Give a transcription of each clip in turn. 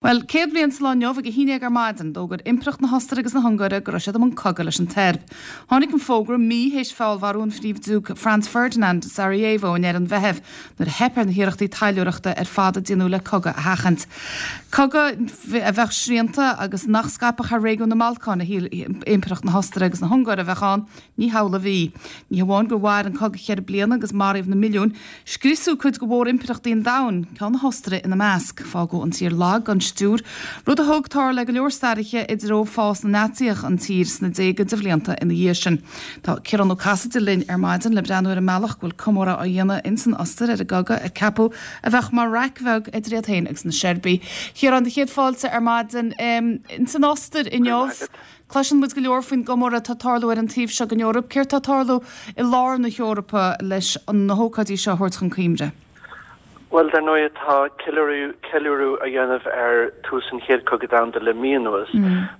Bhuel, 100 bliain sa lá inniu, ag a haon dhéag ar maidin, d'fhógair Impireacht na hOstaire agus na hUngáire go raibh siad i mbun cogaidh leis an tSeirb. Tháinig an fógra mí théis feallmharú an Phríomh-Diúc Franz Ferdinand i Sarajevo i ndeireadh an Mheithimh, nuair a theip ar na hiarrachtaí taidhleoireachta ar fad a déanadh le cogadh a sheachaint. Cogadh a bheadh srianta agus nach scaipfeadh thar réigiún na mBalcán a shíl Impireacht na hOstaire agus na hUngáire a bheadh ann, ní hamhlaidh a bhí. Ní hamháin gur mhair an cogadh cheithre bliana agus maraíodh na milliúin, Scriosadh cuid de mhórimpireachtaí an domhain, ceann na hOstaire ina measc. Fágadh an tír lag gan stiúir, rud a thug, dar le go leor staraithe, i dtreo fás na Naitsíoch an tír sna déaga de bhlianta ina dhiaidh sin. Tá Ciarán Ó Casaide linn ar maidin le breathnú ar an mbealach go bhfuil comóradh á dhéanamh ins an Ostair ar an gcogadh a ceapadh a bheadh mar raic bheag idir iad féin agus na Seirbiaigh. A Chiaráin, do chéad fáilte ar maidin ins an Ostair inniu. Cloiseann muid go leor faoin gcomóradh atá ag tarlú ar an taobh seo den Eoraip. Céard tá ag tarlú i lár na hEorpa leis na hócáidí seo a thabhairt chun cuimhne? Bhuel, dar ndóigh, tá ceiliúradh, ceiliúradh á dhéanamh ar tús an Chéad Chogadh Domhanda le mí anuas.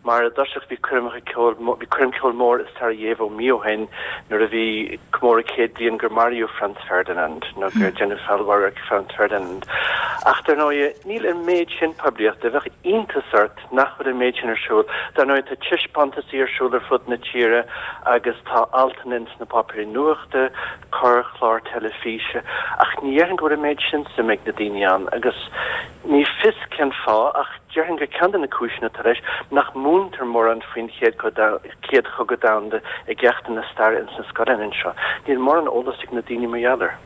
Mar i dtosach bhí coirmeacha ceoil, bhí coirm ceoil mór i Sarajevo mí ó shin nuair a bhí comóradh 100 bliain gur maraíodh Franz Ferdinand, nó gur deineadh feallmharú ar Franz Ferdinand. Ach dar ndóigh, níl an méid sin poiblíochta. Bheadh iontas ort nach bhfuil an méid sin ar siúl. Dar ndóigh, tá taispeántasaí ar siúl ar fud na tíre agus tá altanna ins na páipéirí nuachta, corrchlár teilifíse, ach ní dhéarfainn go bhfuil an méid sin suime ag na daoine ann agus ní fios cén fáth ach déarfainn gur ceann de na cúiseanna atá leis nach múintear mórán faoin Chéad Chogadh Domhanda i gceachtanna staire ins na scoileanna anseo. Níl mórán eolas ag na daoine mar gheall air.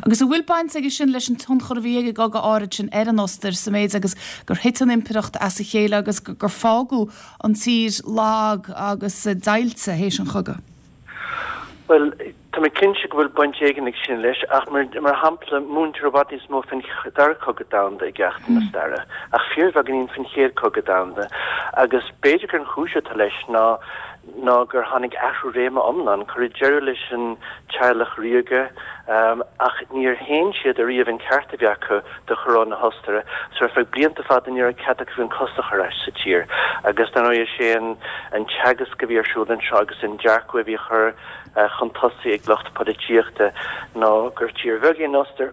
Agus an bhfuil baint aige sin leis an tionchar a bhí ag an gcogadh áirid sin ar an Ostair, sa méid agus gur thit an impireacht as a chéile agus gur fágadh an tír lag agus deighilte théis an chogaidh? Bhuel, tá mé cinnte go bhfuil baint éigin ag sin leis, ach mar shampla, múintear i bhfad níos mó faoin Dara Cogadh Domhanda i gceachtanna staire, ach fíorbheagáinín faoin Chéad Chogadh Domhanda, agus b'fhéidir gur an chúis atá leis ná ná gur tháinig athrú réime iomlán. Cuireadh deireadh leis an teaghlach ríoga, ach níor shéan siad ariamh an ceart a bhí acu do choróin na hOstaire, so ar feadh blianta fada ní raibh cead acu an cos a chur as sa tír. Agus dar ndóigh is é an teagasc a bhí ar siúl anseo agus an dearcadh a bhí á chur chun tosaigh ag lucht polaitíochta ná gur tír bheag í an Ostair,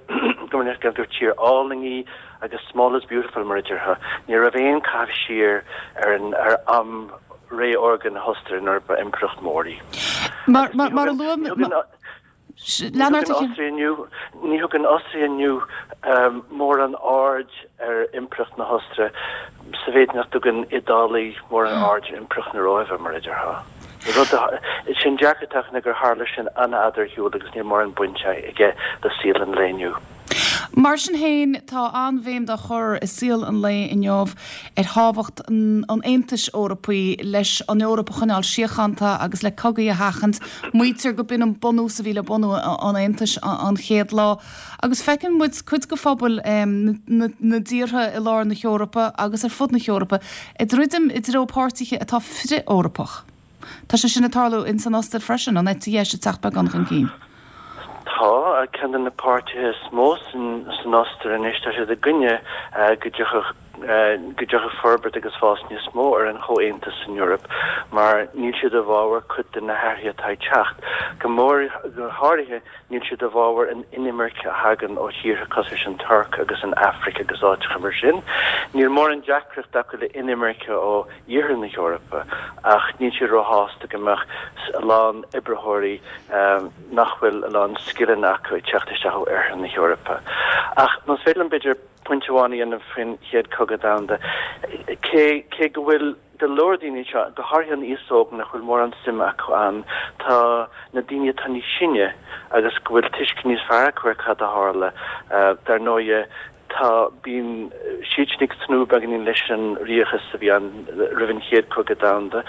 gur tír álainn í, agus small is beautiful mar a déarfá. Ní raibh aon caitheamh siar ar an ar am ré órga na hOstaire nuair ba impireacht mhór í. Mar mar a luaigh Ní thugann Ostair inniu ní thugann Ostair inniu mórán aird ar impireacht na hOstaire sa mhéid nach dtugann Iodálaigh mórán aird ar impireacht na Róimhe mar a déarfá. Rud is é an dearcadh atá acu ná gur tharla sin an-fhada ar shiúl agus níl mórán baint aige le saol an lae inniu. Mar sin féin, tá an-bhéim dá chur i saol an lae inniu ar thábhacht an Aontais Eorpaigh leis an Eoraip a choinneáil síochánta agus le cogaí a sheachaint. Maítear go b'in an bunús a bhí le bunú an Aontais an chéad lá. Agus feiceann muid cuid de phobail na dtíortha i lár na hEorpa agus ar fud na hEorpa ag druidim i dtreo páirtithe atá frith-Eorpach. Tá sé sin ag tarlú ins an Ostair freisin, an eite dheis ag teacht beagán chun cinn. Tá, ceann de na páirtithe is mó san Ostair anois, tá siad i gcoinne go dtiocfadh go dtiocfadh forbairt agus fás níos mó ar an chomhaontas san Eoraip mar níl siad i bhfabhar cuid de na hathruithe atá ag teacht. Go mór, go háirithe níl siad i bhfabhar an inimirce a thagann ó thíortha cosúil leis an Tuirc agus an Afraic agus áiteacha mar sin. Níl mórán deacracht acu le inimirce ó Iarthar na hEorpa, ach níl siad róshásta go mbeadh a lán oibritheoirí nach bhfuil a lán scileanna acu ag teacht isteach ó Oirthear na hEorpa. Ach más féidir liom b'fhéidir pointe amháin a dhéanamh faoin Chéad Chogadh Domhanda, cé cé go bhfuil go leor daoine anseo, go háirithe an aos óg, nach bhfuil mórán suime acu ann, tá na daoine atá níos sine agus go bhfuil tuiscint níos fearr acu ar cad a tharla, dar ndóighe, Tá, bíonn siadsan ag tnúth beagáinín leis an ríochas a bhí ann roimh an Chéad Chogadh Domhanda,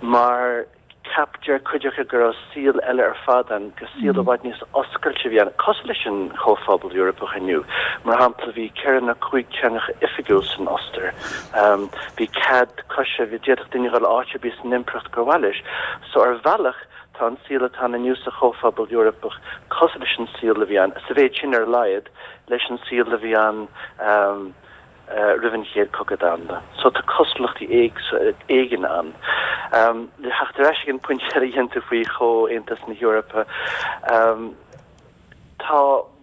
mar ceap, deir cuid acu go raibh saol eile ar fad ann, gur saol i bhfad níos oscailte a bhí ann, cosúil leis an Chomhphobal Eorpach inniu. Mar shampla, bhí ceithre nó cúig teangacha oifigiúil san Ostair. Bhí cead coise, bhí, d'fhéadfadh duine dhul áit ar bith san impireacht gur mhaith leis. So ar bhealach, tá an saol atá ann inniu sa Chomhphobal Eorpach cosúil leis an saol a bhí ann, sa mhéid sin ar a laghad, leis an saol a bhí ann roimh an Chéad Chogadh Domhanda. So tá cosúlachtaí éigin ann. Le theacht ar ais ag an bpointe eile a dhein tú faoi Chomhaontas na hEorpa, tá.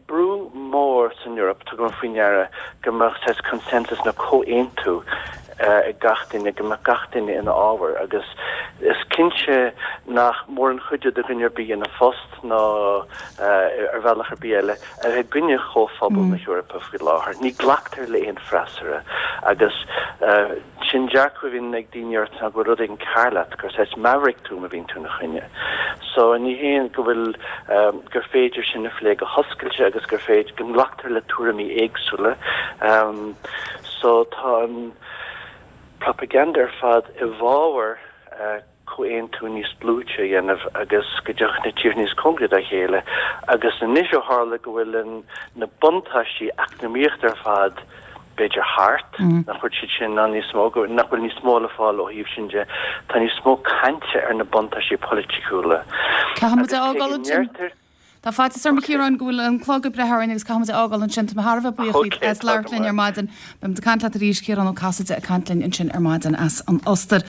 brú mór san Eoraip, tugaim faoi ndeara, go mbeadh saghas consensus nó comhaontú ag gach duine, go mbeadh gach duine ina fhábhar agus is cinnte nach mór an chuidiú do dhuine ar bith ina phost ná ar bhealach ar bith eile a bheith i gcoinne Chomhphobal na hEorpa faoi láthair. Ní glactar le aon freasúra agus sin dearcadh a bhíonn ag daoine ort ná go bhfuil rud éigin cearr leat, gur saghas maverick tú má bhíonn tú ina choinne. So ní hé go bhfuil, gur féidir sin a phlé go hoscailte agus gur féidir, go nglactar le tuairimí éagsúla. So tá an propaganda ar fad i bhfabhar comhaontú níos dlúite a dhéanamh agus go dtiocfadh na tíortha níos cóngaraí dá chéile agus anois ó tharla go bhfuil an na buntáistí eacnamaíochta ar fad b'fhéidir thart, nach bhfuil siad sin ann níos mó, nach bhfuil níos mó le fáil ó thaobh sin de, tá níos mó cainte ar na buntáistí polaitiúla. Caithfidh muid a fhágáil ansin. Tá faitíos orm, a Chiaráin, go bhfuil an clog ag breith orainn agus caithfidh muid a fhágáil ansin. Tá mé thar a bheith buíoch díot as labhairt linn ar maidin. Beidh muid ag caint leat arís, Ciarán Ó Casaide ag caint linn ansin ar maidin as an Ostair.